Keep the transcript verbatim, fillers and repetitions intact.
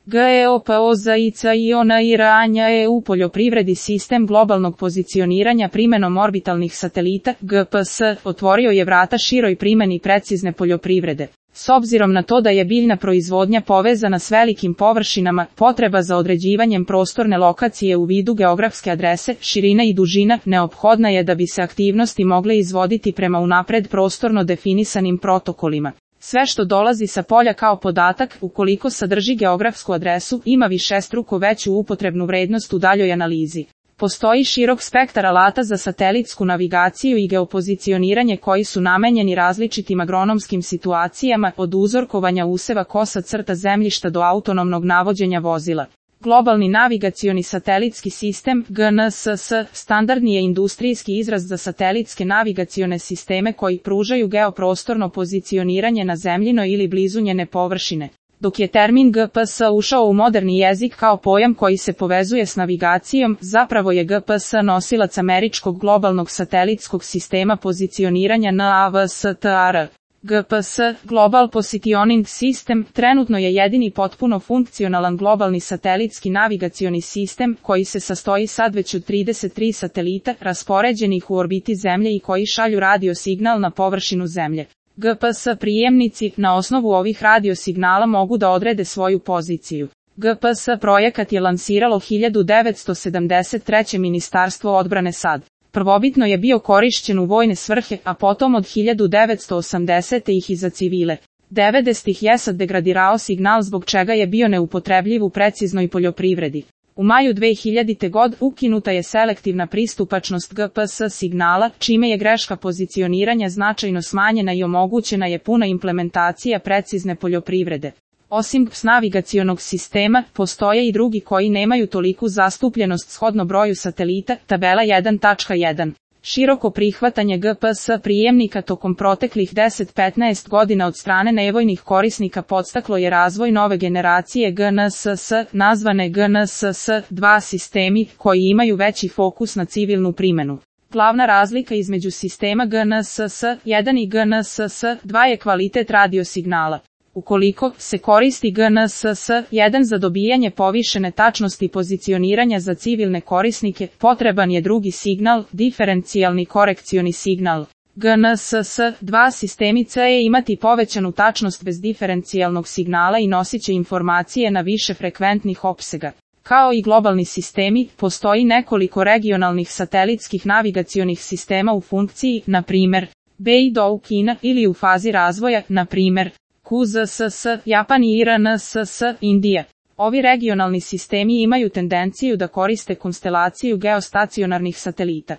GEOPOZICIONIRANJA E U poljoprivredi sistem globalnog pozicioniranja primenom orbitalnih satelita, G P S, otvorio je vrata široj primeni precizne poljoprivrede. S obzirom na to da je biljna proizvodnja povezana s velikim površinama, potreba za određivanjem prostorne lokacije u vidu geografske adrese, širina i dužina, neophodna je da bi se aktivnosti mogle izvoditi prema unapred prostorno definisanim protokolima. Sve što dolazi sa polja kao podatak, ukoliko sadrži geografsku adresu, ima višestruko veću upotrebnu vrednost u daljoj analizi. Postoji širok spektar alata za satelitsku navigaciju i geopozicioniranje koji su namenjeni različitim agronomskim situacijama, od uzorkovanja useva kosa crta zemljišta do autonomnog navođenja vozila. Globalni navigacioni satelitski sistem, G N S S, standardni je industrijski izraz za satelitske navigacione sisteme koji pružaju geoprostorno pozicioniranje na zemljinoj ili blizu njene površine. Dok je termin G P S ušao u moderni jezik kao pojam koji se povezuje s navigacijom, zapravo je G P S nosilac američkog globalnog satelitskog sistema pozicioniranja N A V S T A R. G P S, Global Positioning System, trenutno je jedini potpuno funkcionalan globalni satelitski navigacioni sistem koji se sastoji sad već od trideset tri satelita raspoređenih u orbiti Zemlje i koji šalju radio signal na površinu Zemlje. G P S prijemnici na osnovu ovih radiosignala mogu da odrede svoju poziciju. G P S projekat je lansiralo hiljadu devetsto sedamdeset treće Ministarstvo odbrane SAD. Prvobitno je bio korišćen u vojne svrhe, a potom od hiljadu devetsto osamdesete ih i za civile. devedesetih je SAD degradirao signal zbog čega je bio neupotrebljiv u preciznoj poljoprivredi. U maju dve hiljadite. god ukinuta je selektivna pristupačnost G P S signala, čime je greška pozicioniranja značajno smanjena i omogućena je puna implementacija precizne poljoprivrede. Osim G P S navigacionog sistema, postoje i drugi koji nemaju toliku zastupljenost shodno broju satelita, tabela jedan tačka jedan. Široko prihvatanje G P S prijemnika tokom proteklih deset do petnaest godina od strane nevojnih korisnika podstaklo je razvoj nove generacije G N S S, nazvane G N S S dva sistemi, koji imaju veći fokus na civilnu primenu. Glavna razlika između sistema G N S S jedan i G N S S dva je kvalitet radiosignala. Ukoliko se koristi G N S S jedan za dobijanje povišene tačnosti pozicioniranja za civilne korisnike, potreban je drugi signal, diferencijalni korekcioni signal. G N S S dva sistemi C E imati povećanu tačnost bez diferencijalnog signala i nosit će informacije na više frekventnih opsega. Kao i globalni sistemi, postoji nekoliko regionalnih satelitskih navigacionih sistema u funkciji, na primjer, Beidou Kina, ili u fazi razvoja, na primjer, Q Z S S, Japan i I R N S S, Indija. Ovi regionalni sistemi imaju tendenciju da koriste konstelaciju geostacionarnih satelita.